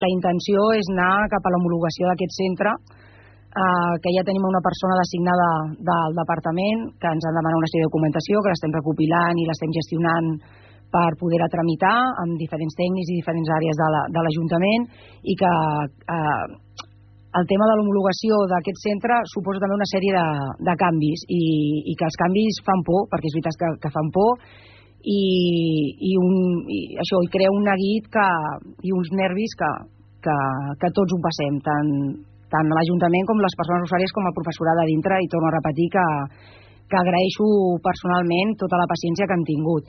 La intenció és anar cap a l'homologació d'aquest centre, que ja tenim una persona designada del departament, que ens han demanat una sèrie de documentació, que l'estem recopilant i l'estem gestionant per poder-la tramitar amb diferents tècnics i diferents àrees de l'Ajuntament, i que el tema de l'homologació d'aquest centre suposa també una sèrie de canvis, i que els canvis fan por, perquè és veritat que fan por, i crea un neguit i uns nervis que tots ho passem, tant l'Ajuntament com les persones usuàries com el professorat de dintre, i torno a repetir que agraeixo personalment tota la paciència que han tingut.